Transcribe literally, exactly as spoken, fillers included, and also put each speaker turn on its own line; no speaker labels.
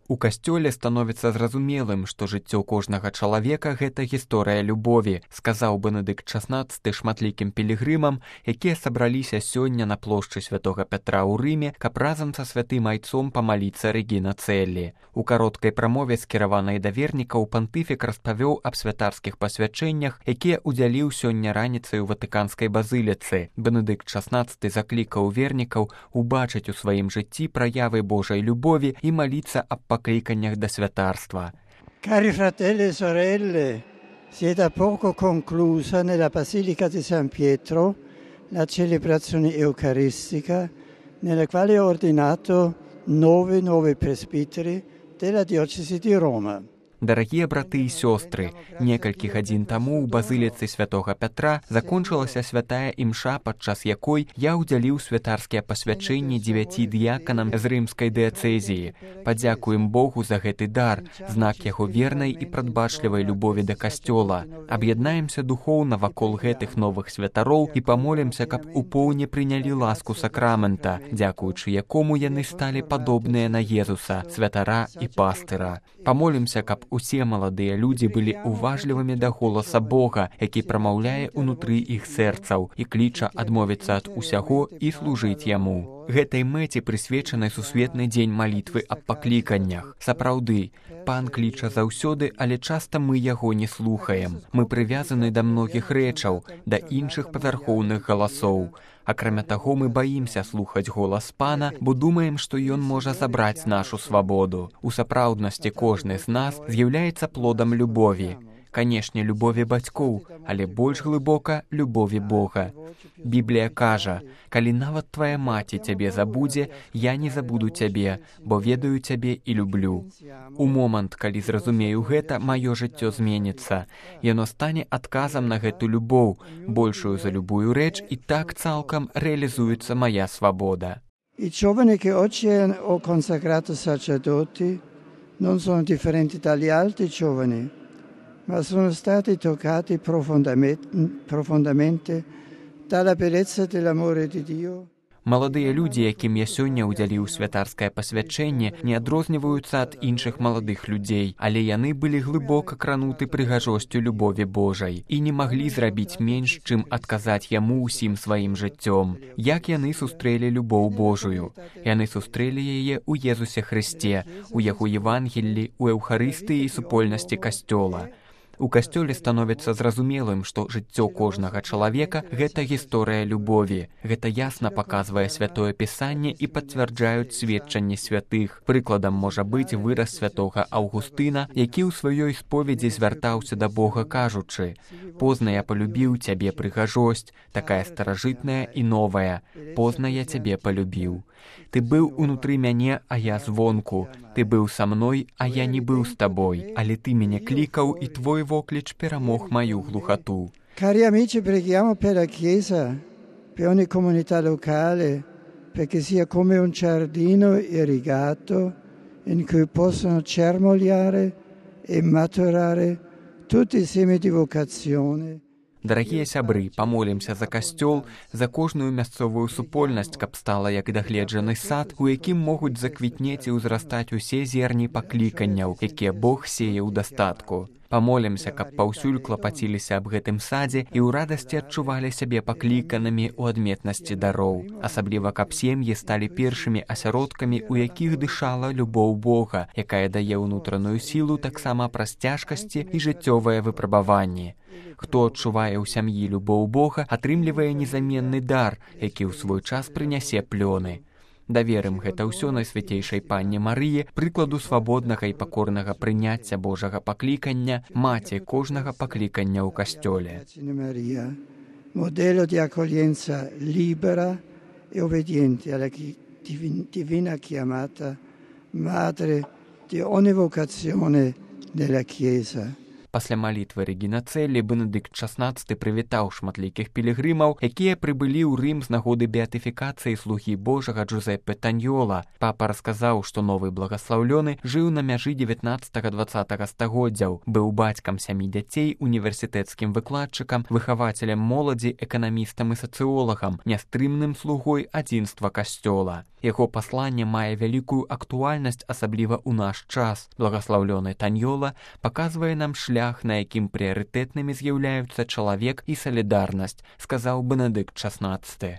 У касцёле становіцца зразумелым, што жыццё кожнага чалавека – гэта гісторыя любові, сказаў Бенедыкт шаснаццаты шматлікім пілігрымам, якія сабраліся сёння на плошчы святога Пятра ў Рыме, каб разам са святым айцом памаліцца Рэгіна Цэллі. У кароткай прамове, скіраванай да вернікаў, пантыфік распавёў аб святарскіх пасвячэннях, якія ўдзяліў сёння раніцай у Ватыканскай базыліцы. Бенедыкт шаснаццаты заклікаў вернікаў убачыць у сваім жыцці праявы Божай любові і маліцца аб покликаннях до святарства.
Cari fratelli e sorelle, si è da poco conclusa nella Basilica di San Pietro la celebrazione eucaristica nella quale ho ordinato nove nuovi presbiteri della diocesi di Roma.
Дарагія браты і сёстры, некалькі гадзін таму ў базыліцы святога Пятра закончылася святая імша, падчас якой я ўдзяліў святарскія пасвячэнні дзевяці дыяканам з рымскай дыяцэзіі. Падзякуем Богу за гэты дар, знак яго вернай і прадбачлівай любові да касцёла. Аб'яднаемся духоўна вакол гэтых новых святароў і памолімся, каб у поўні прынялі ласку сакрамента, дзякуючы якому яны сталі падобныя на Езуса, святара і пастыра. Памолімся, каб усе маладыя людзі былі уважлівымі да голаса Бога, які прамаўляе ўнутры іх сэрцаў і кліча адмовіцца ад усяго і служыць яму. Гэтай мэце прысвечаны сусветны дзень малітвы аб пакліканнях. Сапраўды, Пан кліча заўсёды, але часта мы яго не слухаем. Мы прывязаны да многіх рэчаў, да іншых павярхоўных галасоў. Акрамя таго, мы баімся слухаць голас Пана, бо думаем, што ён можа забраць нашу свабоду. У сапраўднасці кожны з нас з'яўляецца плодам любові. Канешне, любові бацькоў, але больш глыбока любові Бога. Біблія кажа: «Калі нават твая маці цябе забудзе, я не забуду цябе, бо ведаю цябе і люблю». У момант, калі зразумею гэта, маё жыццё зменіцца. Яно стане адказам на гэту любоў, большую за любую рэч, і так цалкам рэалізуецца мая свабода.
I giovani che oggi ho consacrato sacerdoti non sono differenti dagli altri giovani, ma sono stati toccati profondamente, profondamente dalla bellezza dell'amore di Dio.
Маладыя людзі, якім я сёння ўдзяліў святарскае пасвячэнне, не адрозніваюцца ад іншых маладых людзей, але яны былі глыбока крануты прыгажосцю любові Божай і не маглі зрабіць менш, чым адказаць яму ўсім сваім жыццём. Як яны сустрэлі любоў Божую? Яны сустрэлі яе ў Езусе Хрысце, у яго Евангеллі, у Эўхарыстыі і супольнасці касцёла. У касцёле становіцца зразумелым, што жыццё кожнага чалавека – гэта гісторыя любові. Гэта ясна паказвае святое пісанне і пацвярджаюць сведчанні святых. Прыкладам можа быць выраз святога Аўгустына, які ў сваёй споведзі звяртаўся да Бога, кажучы: «Позна я полюбіў цябе, прыгажосць, такая старажытная і новая. Позна я цябе полюбіў. Ты быў унутры мяне, а я звонку. Ты быў са мной, а я не быў з табой. Але ты мяне клікаў, і твой вокліч перамог маю глухату».
Cari amici, preghiamo per la Chiesa, per ogni comunità locale, perché sia come un giardino irrigato in cui possono germogliare e maturare tutti i semi di vocazione.
Дарагія сябры, памолімся за касцёл, за кожную мясцовую супольнасць, каб стала як дагледжаны сад, у якім могуць заквітнець і ўзрастаць усе зерні пакліканняў, якія Бог сее ў дастатку. Памолімся, каб паўсюль клапаціліся аб гэтым садзе і ў радасці адчувалі сябе пакліканымі ў адметнасці дароў. Асабліва, каб сем'і сталі першымі асяродкамі, у якіх дышала любоў Бога, якая дае ўнутраную сілу таксама праз цяжкасці і жыццёвыя выпрабаванні. Хто адчувае ў сям'і любоў Бога, атрымлівае незаменны дар, які ў свой час прынясе плёны. Даверым гэта ўсё Найсвяцейшай Панне Марыі, прыкладу свабоднага і пакорнага прыняцця Божага паклікання, маці кожнага паклікання ў касцёле.
Modello di accoglienza libera e obbediente alla divina chiamata, madre di ogni vocazione della Chiesa.
Пасля малітвы Рэгіна Цэллі Бенедыкт шаснаццаты прывітаў шматлікіх пілігрымаў, якія прыбылі ў Рым з нагоды беатыфікацыі слугі Божага Джузеппе Таньёла. Папа расказаў, што новы благаслаўлёны жыў на мяжы дзевятнаццатага-дваццатага стагоддзяў, быў бацькам сямі дзяцей, універсітэцкім выкладчыкам, выхавацелем моладзі, эканамістам і сацыолагам, нястрымным слугой адзінства касцёла. Яго пасланне мае вялікую актуальнасць, асабліва ў наш час. Благаслаўлёны Таньёла паказвае нам шлях, на якім прыярытэтнымі з'яўляюцца чалавек і салідарнасць, сказаў Бенедыкт шаснаццаты.